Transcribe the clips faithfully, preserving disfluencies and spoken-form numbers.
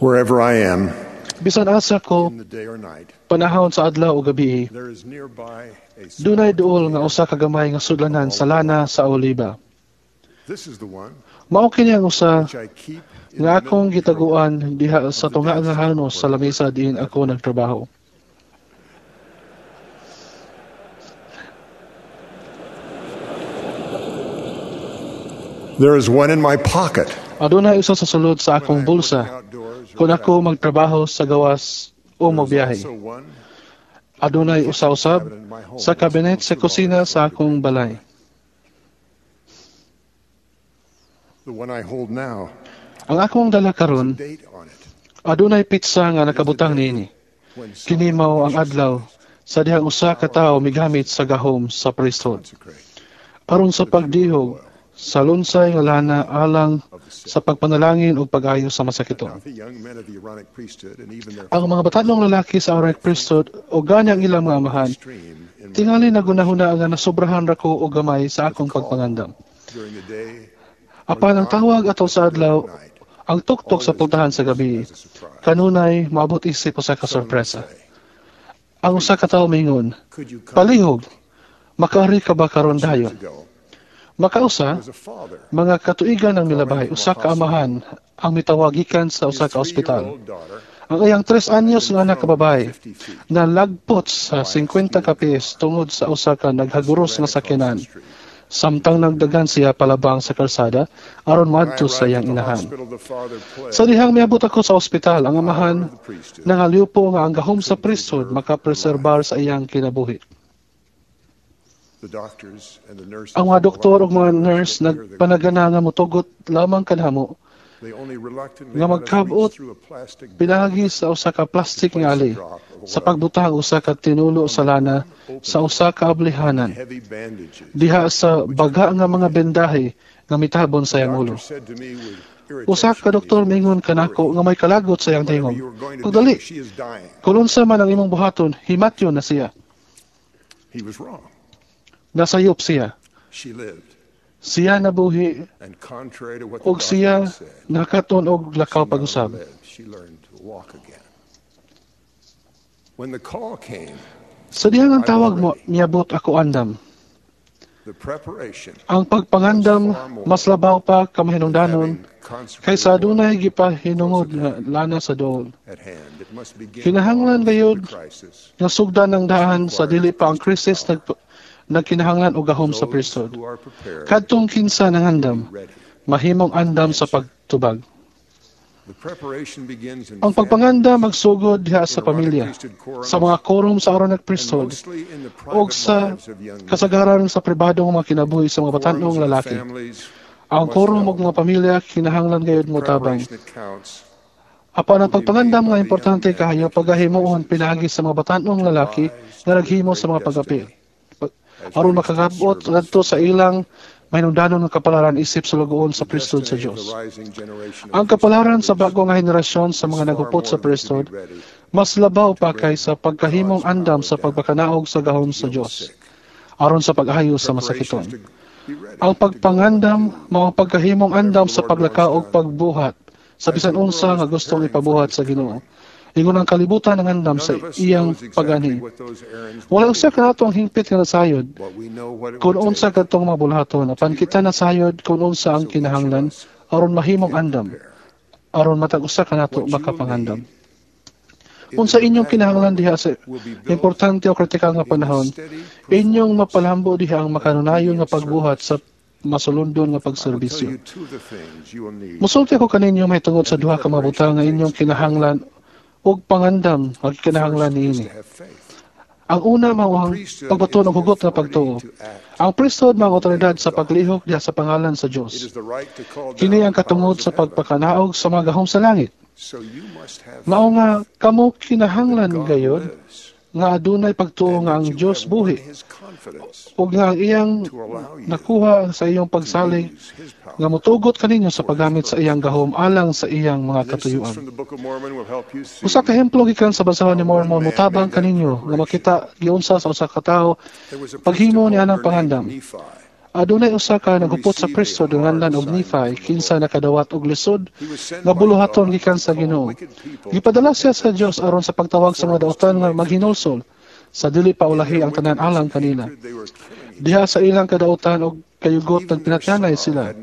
Wherever I am, Bisan asa ko in the day or night, panahon sa adlaw o gabi, there is nearby a small dunay duol nga usa ka gamay nga sudlanan sa lana sa oliba. This is the one Mao kini ang usa which I keep in nga the akong middle drawer. gitaguan diha sa tunga nga hanos sa lamesa diin ako nagtrabaho. There is one in my pocket. Adunay usa sa sulod sa when I akong am bulsa working outdoors or kung ako traveling. magtrabaho sa gawas o There is mobiyahe. also one Adunay usa usab cabinet in my home sa that's kabinet sa full of kusina olive sa oil. akong balay. The one I hold now, Ang akong dala karon date on it. adunay pitsa nga nakabutang niini. When Kini someone mao ang adlaw sa dihang usa ka tawo migamit sa gahom sa priesthood consecrate aron sa pagdihog sa lunsay nga lana alang of the sick. sa pagpanalangin ug pag-ayo sa masakiton. Now the young men of the Aaronic priesthood and even their Ang mga batanong lalaki sa Aaronic priesthood o gani ang ilang mga amahan, stream in my tingali nagunahuna nga nasobrahan ra ko og gamay sa akong pagpangandam. during the day Apan ang tawag atol sa adlaw, night, ang tuktok sa pultahan sa gabi, as a surprise. kanunay maabot isip usa ka Someone would sorpresa. say, Ang usa ka tawo mingon, Could you come palihog, makaari ka ba karon years dayon? ago? Makausa, There was a father. mga katuigan ang milabay, usa ka amahan ang mitawagikan sa His usa ka ospital. three-year-old daughter Ang iyang tres anyos nga anak ka babae fifty feet na lagpot sa singkwenta ka pies tungod sa usa ka naghaguros nga ran across sakyanan. the street. Samtang nagdagan siya palabang sa kalsada aron When I moadto sa arrived iyang at the inahan. hospital, the father pled Sa dihang miabot ako sa ospital, ang amahan of the priesthood nangaliwpo nga ang gahom sa priesthood makapreserbar sa iyang kinabuhi. The doctors and the nurses Ang mga doktor ug mga reluctantly nurse let me hear the nagpanagana nga motugot lamang kanamo They only reluctantly nga let us magkabot reach through a plastic bag pinagi sa usa ka plastic nga ali sa pagbutang usa ka tinulo sa lana sa usa ka ablihanan heavy bandages. diha sa baga nga mga bendahe nga mitabon sa iyang ulo. Doctor said to me with Usa ka irritation, doktor mingon kanako nga may kalagot sa iyang "Whatever tingog. you are going to do, Pagdali, she is dying." kung unsa man ang imong buhaton, himatyon na siya. He was wrong. Nasayop siya. She lived. Siya nabuhi And contrary to what the og doctor siya said, nakaton og lakaw she not only pag-usab. lived, she learned to walk again. When the call came, Sa dihang ang tawag mo, miabot ako andam. the preparation Ang pagpangandam mas labaw pa kamahinungdanon having consecrated kaysa oil adunay gipahinungod nga lana sa dool. at hand, it must begin Kinahanglan long before gayud the crisis. nga sugdan ang daan sa dili pa ang krisis nag nagkinahanglan og gahom sa Those priesthood. who are prepared Kadtong kinsa nangandam, be ready. mahimong andam sa pagtubag. The preparation begins in Ang pagpanganda magsugod diha sa in Aaronic pamilya, priesthood quorums, sa mga quorum sa Aaronic and priesthood, mostly in the og private sa lives of young men. kasagaran sa pribadong mga kinabuhi sa mga Quorums batanong of lalaki. families Ang must quorum help. ug mga pamilya kinahanglan gayud motabang. Preparation that counts Apan ang pagpangandam nga importante kaayo pagahimuon pinaagi sa mga batanong lalaki nga naghimo sa mga pag-apil. as Aron priesthood makakabot servants. ngadto sa ilang mahinungdanon nga kapalaran isip sulugoon sa The priesthood sa destiny of Dios. the rising generation of Ang kapalaran sa priesthood bago nga henerasyon sa is mga far nagupot more sa than to be priesthood ready mas labaw pa kaysa pagkahimong andam sa pagpakanaog sa gahom to sa heal the Dios sick. aron sa pag-ayo sa Preparation masakiton. is to be ready Ang to go and pagpangandam do mao ang pagkahimong andam whatever the sa Lord wants paglakaw og done. pagbuhat sa As bisan the world unsa is nga gustong preparing for ipabuhat his sa Ginoo. coming, Ingon ang kalibutan ang andam none sa of us iyang knows exactly pag-anhi. what those errands Wala will usa be, kanato ang hingpit nga nasayod but we know what it kung will unsa take kadtong mga bulahaton apan to be kita ready. nasayod kung unsa ang So each of kinahanglan us aron mahimong can andam prepare. aron matag usa kanato What you will makapangandam. need in the Unsa inyong dramatic kinahanglan moment diha sa will be built importante o kritikal nga in the panahon, steady inyong performance mapalambo diha ang of makanunayon nga obedient pagbuhat service. sa masulundon nga I will tell pagserbisyo. you two of the things you will need Musulti ako kaninyo mahitungod sa and the duha ka mga butang preparation nga inyong takes to be ready. kinahanglan ug pangandam nga kinahanglan First is niini. to have faith. Ang una mao The ang priesthood pagbaton is og the hugot nga authority pagtuo. to act Ang priesthood mao ang in the name otoridad of sa God. paglihok diha sa pangalan sa It Dios. is the right to call Kini down ang the katungod powers sa of heaven. pagpakanaog sa mga gahom sa langit. So you must have Mao nga faith kamo that kinahanglan God gayod lives nga adunay pagtuo and nga that ang you Dios have won buhi his confidence ug nga ang iyang to allow you nakuha sa iyong to pagsalig use his nga power motugot kaninyo sa for his paggamit sa iyang purposes. gahom alang sa iyang mga An instance katuyuan. from the Book of Mormon will help you Usa ka see ehemplo gikan sa basahon ni how one Mormon man motabang made that kaninyo nga preparation. makita giunsa sa usa ka tawo There was a priest paghimo of ni anang older named pangandam. Nephi. Adunay usa ka naghupot sa priesthood nga nganlan og Nephi, kinsa nakadawat og lisod nga buluhaton gikan sa Ginoo. Gipadala siya sa Dios aron sa pagtawag sa mga dautan nga maghinulsol sa dili pa ulahi ang tanan alang kanila. Diha sa ilang kadautan og kayugot, nagpinatyanay sila.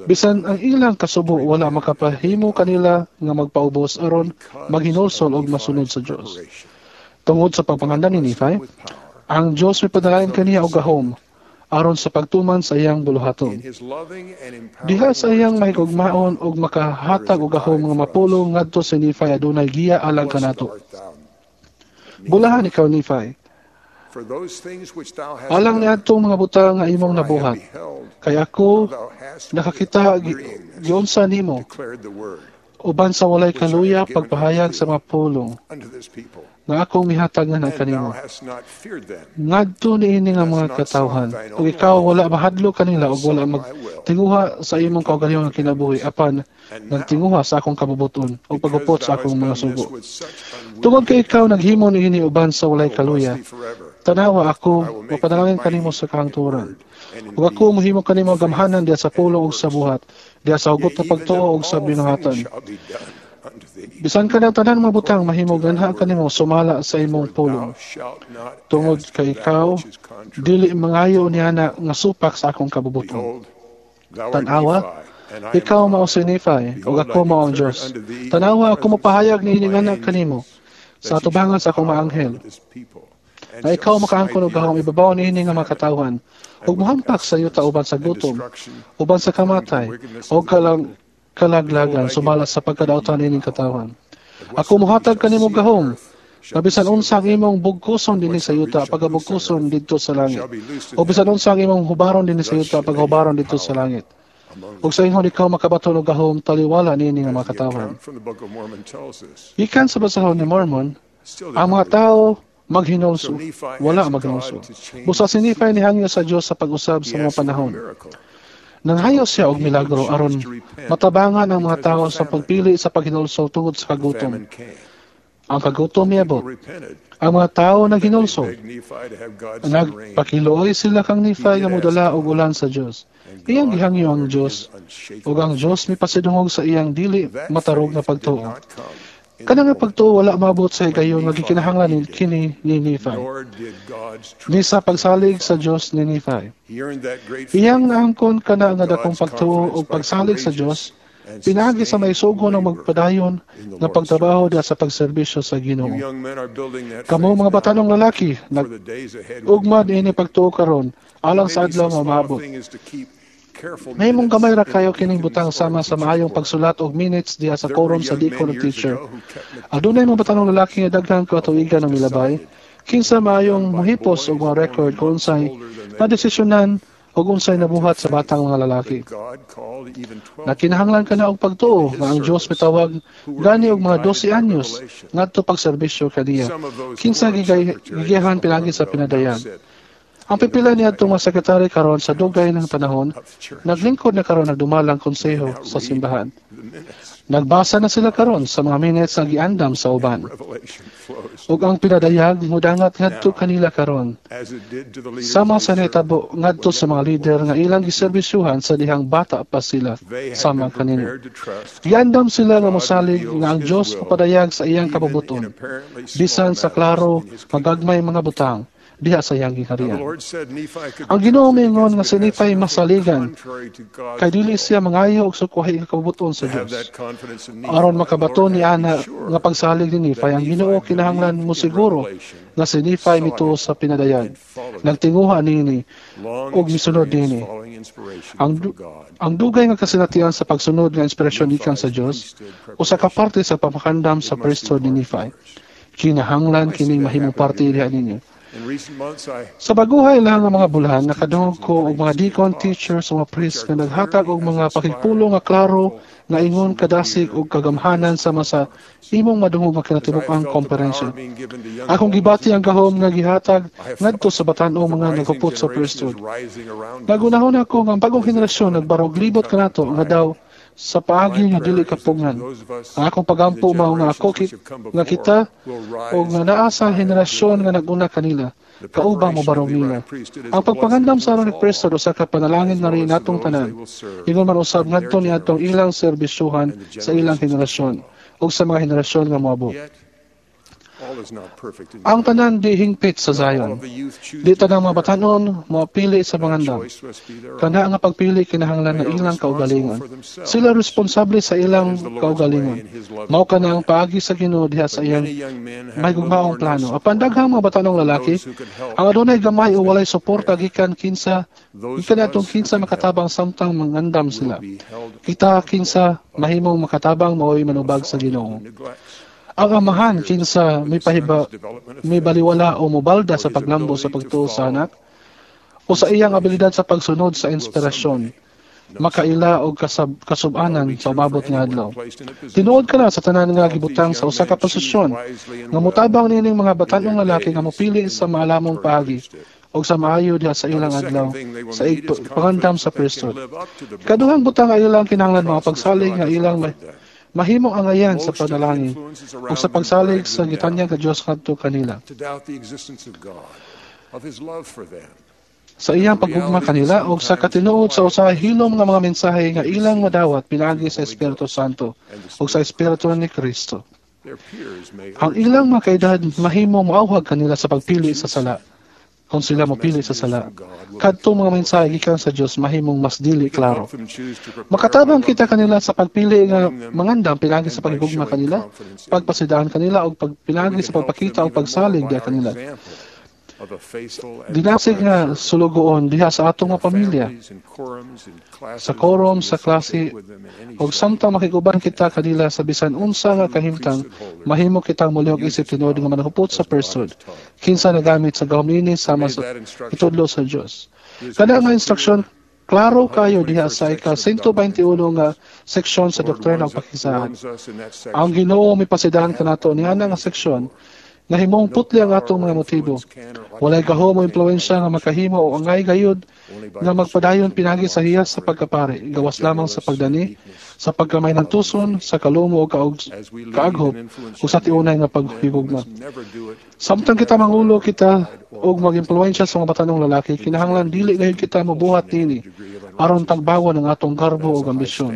Bisan ang ilang kasubo wala makapahimo kanila nga magpaubos aron maghinulsol og masunod sa Dios. Tungod sa pagpangandam ni Nephi, ang Dios mipadalain kaniya og gahom aron sa pagtuman sa iyang buluhaton. Diha sa iyang mahigugmaon og makahatag og gahom nga mapulong ngadto si Nephi, adunay giya alang kanato. "Bulahan ikaw, Nephi, alang niadtong mga butang nga imong nabuhat. Kay ako nakakita giunsa nimo uban sa walay kaluya pagpahayag sa mga pulong nga akong mihatag nga kanimo ngadto niini nga mga katawhan, ug ikaw wala mahadlok kanila ug wala magtinguha sa imong kaugalingon nga kinabuhi, apan nagtinguha sa akong kabubuton ug paghupot sa akong mga sugo. Tungod kay ikaw naghimo niini uban sa walay kaluya, tanawa, ako mapanalangin kanimo sa kahangturan ug ako mohimo kanimo gamhanan diha sa pulong ug sa buhat, diha sa hugot nga pagtuo ug sa binuhatan. Bisan kanang tanan mga butang mahimo ganha kanimo sumala sa imong pulong, tungod kay ikaw dili mangayo niana nga supak sa akong kabubuton. Tan-awa, ikaw mao si Nephi ug ako mao ang Dios. Tanawa, ako mopahayag niini nga kanimo sa atubangan sa akong mga anghel na ikaw makaangkon og gahom ibabaw niini nga mga katawhan ug mohampak sa yuta uban sa gutom, uban sa kamatay o kalang kalaglagan sumala sa pagkadautan niining katawhan. Ako mohatag kanimo gahom na bisan unsa ang imong bugkuson dinhi sa yuta, pagabugkuson didto sa langit, o bisan unsa ang imong hubaron dinhi sa yuta, pagahubaron didto sa langit. Ug sa ingon ikaw makabaton og gahom taliwala niini nga mga katawhan." Gikan sa basahon ni Mormon, ang mga tao maghinulsol, wala maghinulsol. Busa si Nephi nihangyo sa Dios sa pag-usab sa mga panahon. Nanghayo siya og milagro aron matabangan ang mga tao sa pagpili sa paghinulsol tungod sa kagutom. Ang kagutom miabot. Ang mga tao naghinulsol. Nagpakiluoy sila kang Nephi nga modala og ulan sa Dios. Iyang gihangyo ang Dios ug ang Dios mipasidungog sa iyang dili matarog nga pagtuo. Kana nga pagtuo wala maabot sa higayon nga gikinahanglan ni kini ni Nephi. Ni sa pagsalig sa Dios ni Nephi. Iyang naangkon kana nga dakong pagtuo ug pagsalig sa Dios pinaagi sa maisugo ng magpadayon nga pagtrabaho diha sa pagserbisyo sa Ginoo. Kamo mga batanong lalaki, nag ugma niini pagtuo karon alang sa adlaw nga maabot. Mahimong gamay ra kayo kining butang sama sa maayong pagsulat og minutes diha sa quorum sa deacon ug teacher. Adunay mga batanong lalaki nga daghang katuigan ang milabay, kinsa maayong mohipos og mga record kung unsay nadesisyonan ug unsay nabuhat sa batang mga lalaki. Nakinahanglan ka na og pagtuo nga ang Dios mitawag gani og mga dose anyos ngadto pagserbisyo kaniya, kinsa gigay gigiyahan pinaagi sa pinadayag. Ang pipila niadtong mga sekretary karon sa dugay ng panahon naglingkod na karon nagdumalang konseho sa simbahan. Nagbasa na sila karon sa mga minutes nga giandam sa uban. Ug ang pinadayag mudangat ngadto kanila karon. Sama sa nahitabo ngadto sa mga lider nga ilang giserbisyuhan sa dihang bata pa sila sama kanino. Giandam sila nga mosalig nga ang Dios mopadayag sa iyang kabubuton, bisan sa klaro magagmay mga butang diha sa iyang gingharian. Ang Ginoo miingon nga si Nephi masaligan kay dili siya mangayo og sukwahi nga kabubuton sa Dios. Aron makabaton ni ana nga pagsalig ni Nephi, ang Ginoo kinahanglan mo siguro nga si Nephi mituo sa pinadayag, nagtinguha niini ug misunod niini. Ang du- ang dugay nga kasinatian sa pagsunod nga inspirasyon gikan sa Dios usa ka parte sa pamakandam sa priesthood ni Nephi. Kinahanglan kining mahimong parte diha ninyo. Sa baguhay lang nga mga bulan, nakadungog ko og mga deacon, teachers, o mga priests nga naghatag og mga pakigpulong nga klaro nga ingon kadasig og kagamhanan sama sa imong madungog nga kinatibuk-ang komperensya. Akong gibati ang gahom nga gihatag ngadto sa batan-ong mga naghupot sa priesthood. Nagunahon ako nga ang bagong henerasyon nagbarog libot kanato nga daw Sa paagi nga dili kapugnan. Ang akong pagampo mao nga ako ki, nga kita o nga naa sa henerasyon nga nag-una kanila, kaubang mobarog nila. Ang pagpangandam sa Aaronic Priesthood usa ka panalangin na rin natong tanan. Ingon man usab ngadto niadtong ilang serbisyuhan sa ilang henerasyon ug sa mga henerasyon nga moabot. Ang tanan di hingpit sa Zion. Di tanang mga batanon moapili sa pangandam. Kana nga pagpili kinahanglan na ilang kaugalingon. Sila responsable sa ilang kaugalingon. Mao kana ang paagi sa Ginoo diha sa iyang mahigugmaong plano. Apan daghang mga batanong lalaki ang adunay gamay o walay suporta gikan kinsa gikan atong kinsa makatabang samtang mangandam sila. Kita kinsa mahimong makatabang mao'y manubag sa Ginoo. Ang amahan kinsa may pahiba, may baliwala o mobalda sa paglambo sa pagtuo sa anak o sa iyang abilidad sa pagsunod sa inspirasyon, makaila og kasab, kasubanan sa umabot nga adlaw. Tinuod ka na sa tanan nga gibutang sa usa ka posisyon nga motabang niining mga batanong lalaki nga mopili sa maalamong paagi og sa maayo diha sa ilang adlaw sa pangandam sa priesthood. Kaduhang butang nga ilang kinahanglan mga pagsalig nga ilang mahimong angayan sa panalangin o sa pagsalig sa gitanyag ka Dios kadto kanila. Sa iyang paghugma kanila o sa katinuod sa usahay hilom nga mga mensahe nga ilang madawat pinaagi sa Espiritu Santo o sa Espiritu ni Kristo. Ang ilang mga kaedad mahimong moauhag kanila sa pagpili sa sala. Kung sila mopili sa sala, kadto mga mensahe gikan sa Dios mahimong mas dili klaro. Makatabang kita kanila sa pagpili nga mangandam pinaagi sa paghigugma kanila, pagpasidaan kanila og pagpinaagi sa pagpakita og pagsalig diha kanila. Dinasig nga sulugoon diha sa atong mga pamilya, sa quorum, sa klase, og samtang makiguban kita kanila sa bisan unsa nga kahimtang, mahimo kitang mulihok isip tinuod nga manahupot sa priesthood, kinsa nagamit sa gahom niini sama sa itudlo sa Dios. Kada nga instruksyon klaro kayo diha sa ika one twenty-one nga seksyon sa doktrina ug pakisahan. Ang Ginoo mipasidahan kanato niana nga seksyon nahimong putli ang atong mga motibo. Walay gahom o impluwensya nga makahimo o angay gayud nga magpadayon pinagi sa hiyas sa pagkapari, gawas lamang sa pagdani, sa pagkamay ng tuson, sa kalumo o kaog, kaaghop, o sa tiunay nga paghigugma. Samtang kita mangulo kita og mag-impluwensya sa mga batanong lalaki, kinahanglan dili gayud kita mobuhat nini aron tagbawon ang atong garbo o ambisyon.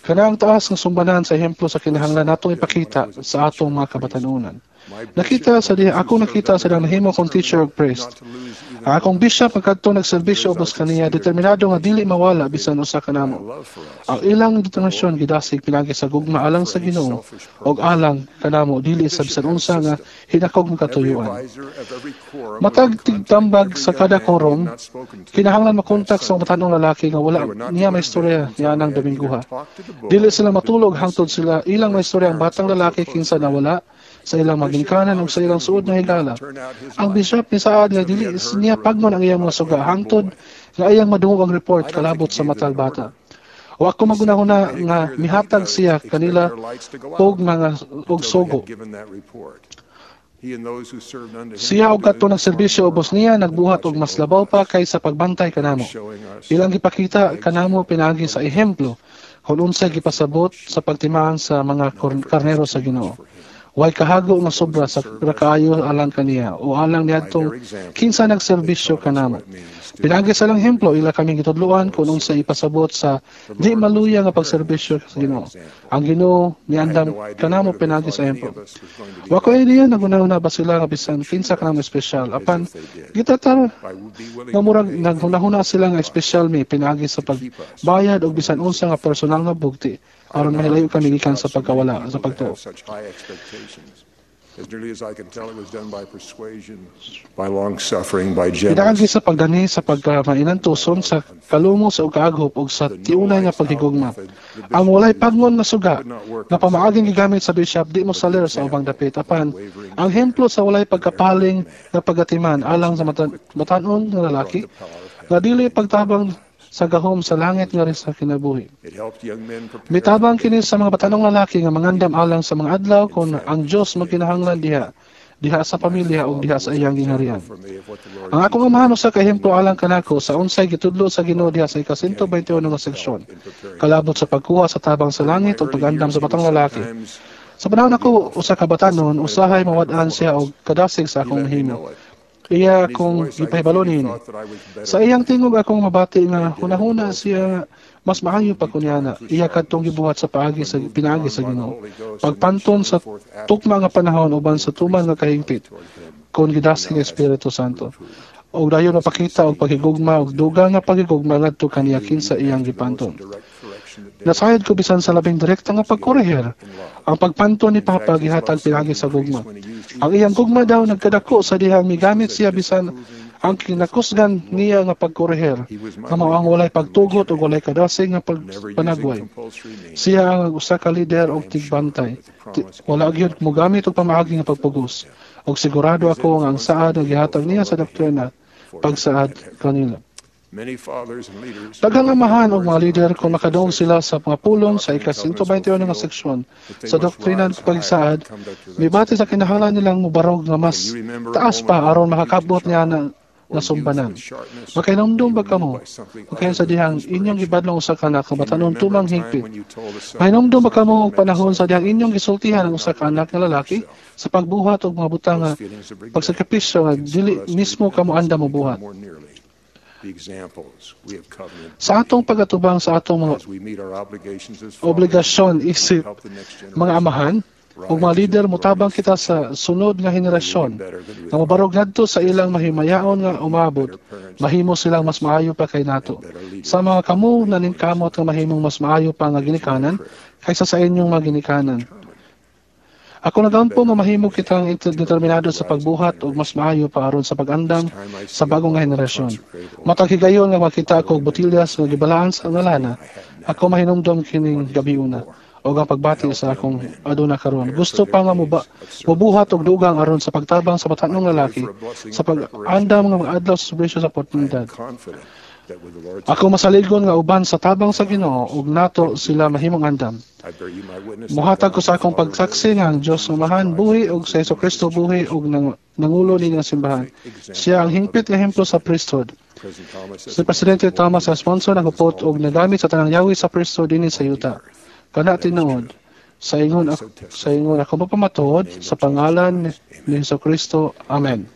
Kana ang taas nga sumbanan sa ehemplo sa kinahanglan natong ipakita sa atong mga kabatanunan. Nakita sa diha, ako nakita sa dang nahimo kong teacher og priest. Ang akong bishop pagkadto nagserbisyo ubos kaniya, determinado nga dili mawala bisan usa kanamo. Ang ilang determinasyon gidasig pinagi sa gugma alang sa Ginoo og alang kanamo dili sa bisan unsa nga hinakog nga katuyuan. Matag tigtambag sa kada quorum, kinahanglan makontak sa mga batanong lalaki nga wala niya may istorya niya nang Dominguha. Dili sila matulog hangtod sila ilang may istorya ang batang lalaki kinsa nawala sa ilang maginikanan ug sa ilang suod nga higala. Ang bishop ni saad nga dili niya pagnon ang iyang mga suga hangtod nga iyang madungog ang report kalabot sa matag bata. Wa ko magunahuna nga mihatag siya kanila og mga og sugo. Siya og kadto nagserbisyo ubos niya nagbuhat og mas labaw pa kaysa pagbantay kanamo. Ilang gipakita kanamo pinaagi sa ehemplo kung unsay gipasabot sa pagtimaan sa mga karnero sa Ginoo. Way kahago nga sobra sa kaayo alang kaniya o alang niadtong kinsa nagserbisyo kanamo. Pinaagi sa lang ehemplo ila kaming gitudloan kung unsa ipasabot sa di maluya nga pagserbisyo sa Ginoo. Ang Ginoo miandam kanamo pinaagi sa ehemplo. Wa ko idea nagunahuna ba sila nga bisan kinsa kanamo espesyal apan gitatar nga murag naghunahuna sila nga espesyal mi pinaagi sa pagbayad og bisan unsa nga personal nga bugti aron mahilayo kami gikan sa pagkawala sa pagtuo. As nearly as I can tell, it was done by persuasion, by long suffering, by gentleness. Pinaagi sa pagdani sa pagkamainantuson sa kalumo sa kaaghop ug sa tiunay nga paghigugma. Ang walay pagngon nga suga nga pamaaging gigamit sa bishop di mo saler sa ubang dapit apan ang hemplo sa walay pagkapaling nga pagatiman alang sa matan-on nga lalaki nga dili pagtabang sa gahom sa langit nga rin sa kinabuhi. Mitabang kini sa mga batanong lalaki nga mangandam alang sa mga adlaw kung ang Dios magkinahanglan diha diha sa pamilya ug diha sa iyang gingharian. Ang akong amahan usa ka ehemplo alang kanako sa unsay gitudlo sa Ginoo diha sa ika-one twenty-one nga seksyon kalabot sa pagkuha sa tabang sa langit ug pag-andam sa batang lalaki. Sa panahon ako usa ka batanon, usahay mawad-an siya og kadasig sa akong mahimo. Iya akong gipahibalo niini. Sa iyang tingog akong mabati nga hunahuna siya mas maayo pa kunyana. Iya kadtong gibuhat sa paagi sa pinaagi sa Ginoo. Pagpanton sa tukma nga panahon uban sa tuman nga kahingpit kon gidasig ang Espiritu Santo. Og dayon mapakita og paghigugma og dugang nga paghigugma ngadto kaniya kinsa iyang gipanton. Nasayod ko bisan sa labing direkta nga pagkorehir, ang pagpanton ni Papa gihatag pinaagi sa gugma. Ang iyang gugma daw nagkadako sa dihang migamit siya bisan ang kinakusgan niya nga pagkorehir, nga mao ang walay pagtugot ug walay kadasig nga pagpanagway. Siya ang usa ka lider og tigbantay. Wala gyud mogamit og pamaagi nga pagpugos. Og sigurado ako nga ang saad nga gihatag niya sa doktrina pagsaad kanila. Daghang amahan og mga lider, kung makadungog sila sa mga pulong sa ika one twenty-one nga seksyon sa doktrina ng pagsaad, mibati sa kinahanglan nilang mubarog nga mas taas pa aron makakabot niya na nasumbanan. Makahinumdum ba kamo o sa dihang inyong gibadlong usa ka anak nga batanon tumang higpit? Mahinumdum ba kamo og panahon sa dihang inyong gisultihan ang usa ka anak nga lalaki sa pagbuhat og mga butang nga pagsakripisyo nga dili mismo kamo andam mobuhat? Sa atong pagatubang sa atong mga obligasyon isip mga amahan ug mga lider, motabang kita sa sunod nga henerasyon nga mobarog ngadto sa ilang mahimayaon nga umabot, mahimo silang mas maayo pa kay nato. Sa mga kamo naningkamot nga mahimong mas maayo pa nga ginikanan kaysa sa inyong mga ginikanan, ako nagampo nga mahimo kitang determinado sa pagbuhat og mas maayo pa aron sa pag-andam sa bagong nga henerasyon. Matag higayon nga makita ako og botilyas nga gibalaan sa ngalana, ako mahinumdom kining gabiuna o ang pagbati sa akong aduna karon. Gusto pa nga muba, mubuhat og dugang aron sa pagtabang sa batanong lalaki sa pag-andam nga mga adlaw sa serbisyo sa oportunidad. Ako masaligon nga uban sa tabang sa Ginoo ug nato sila mahimong andam. Muhatag ko sa akong pagsaksi nga ang Dios Amahan buhi ug sa Hesus Kristo buhi ug nang, nangulo ni nga simbahan. Siya ang hingpit nga ehemplo sa priesthood. Si Presidente Thomas S. Monson naghupot og nagamit sa tanang yawi sa priesthood dinhi sa yuta. Kana tinuod. Sa ingon ako, sa ingon ako mapamatuod sa pangalan ni Hesus Kristo. Amen.